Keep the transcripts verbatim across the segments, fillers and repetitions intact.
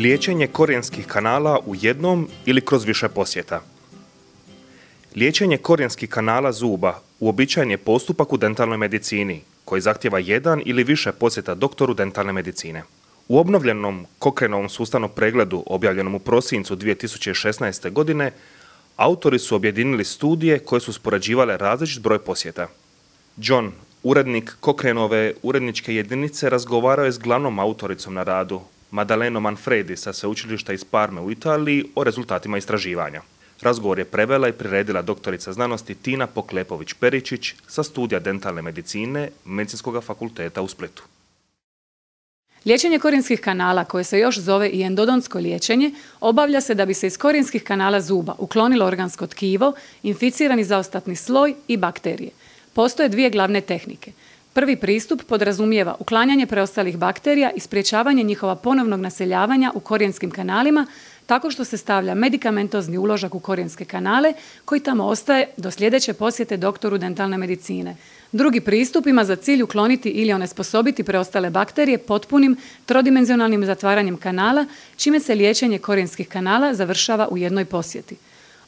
Liječenje korijenskih kanala u jednom ili kroz više posjeta. Liječenje korijenskih kanala zuba uobičajen je postupak u dentalnoj medicini koji zahtjeva jedan ili više posjeta doktoru dentalne medicine. U obnovljenom Cochranovom sustavnom pregledu objavljenom u prosincu dvije tisuće šesnaeste. godine autori su objedinili studije koje su uspoređivale različit broj posjeta. John, urednik Cochranove uredničke jedinice, razgovarao je s glavnom autoricom na radu, Maddalenom Manfredi sa sveučilišta iz Parme u Italiji, o rezultatima istraživanja. Razgovor je prevela i priredila doktorica znanosti Tina Poklepović-Peričić sa studija dentalne medicine Medicinskog fakulteta u Splitu. Liječenje korijenskih kanala, koje se još zove i endodontsko liječenje, obavlja se da bi se iz korijenskih kanala zuba uklonilo organsko tkivo, inficirani zaostatni sloj i bakterije. Postoje dvije glavne tehnike. Prvi pristup podrazumijeva uklanjanje preostalih bakterija i sprječavanje njihova ponovnog naseljavanja u korijenskim kanalima tako što se stavlja medikamentozni uložak u korijenske kanale koji tamo ostaje do sljedeće posjete doktoru dentalne medicine. Drugi pristup ima za cilj ukloniti ili onesposobiti preostale bakterije potpunim trodimenzionalnim zatvaranjem kanala, čime se liječenje korijenskih kanala završava u jednoj posjeti.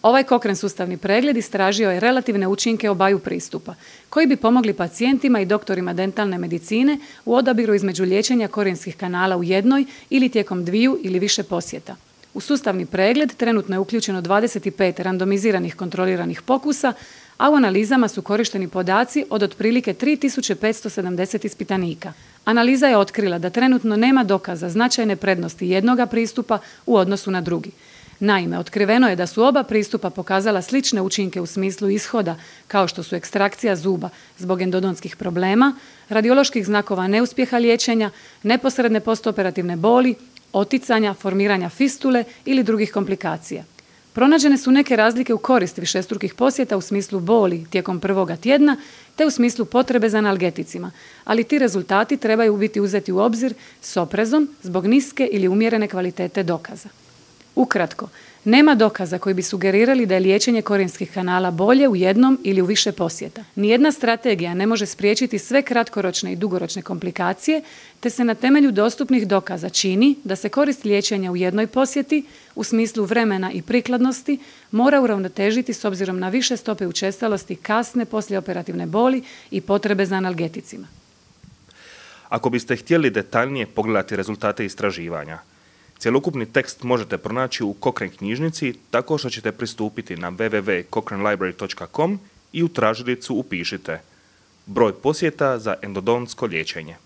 Ovaj Cochrane sustavni pregled istražio je relativne učinke obaju pristupa, koji bi pomogli pacijentima i doktorima dentalne medicine u odabiru između liječenja korijenskih kanala u jednoj ili tijekom dviju ili više posjeta. U sustavni pregled trenutno je uključeno dvadeset pet randomiziranih kontroliranih pokusa, a u analizama su korišteni podaci od otprilike tri tisuće petsto sedamdeset ispitanika. Analiza je otkrila da trenutno nema dokaza značajne prednosti jednoga pristupa u odnosu na drugi. Naime, otkriveno je da su oba pristupa pokazala slične učinke u smislu ishoda, kao što su ekstrakcija zuba zbog endodontskih problema, radioloških znakova neuspjeha liječenja, neposredne postoperativne boli, oticanja, formiranja fistule ili drugih komplikacija. Pronađene su neke razlike u korist višestrukih posjeta u smislu boli tijekom prvoga tjedna te u smislu potrebe za analgeticima, ali ti rezultati trebaju biti uzeti u obzir s oprezom zbog niske ili umjerene kvalitete dokaza. Ukratko, nema dokaza koji bi sugerirali da je liječenje korijenskih kanala bolje u jednom ili u više posjeta. Nijedna strategija ne može spriječiti sve kratkoročne i dugoročne komplikacije, te se na temelju dostupnih dokaza čini da se korist liječenja u jednoj posjeti, u smislu vremena i prikladnosti, mora uravnotežiti s obzirom na više stope učestalosti kasne poslijeoperativne boli i potrebe za analgeticima. Ako biste htjeli detaljnije pogledati rezultate istraživanja, cjelokupni tekst možete pronaći u Cochrane knjižnici tako što ćete pristupiti na w w w točka cochrane library točka com i u tražilicu upišite broj posjeta za endodontsko liječenje.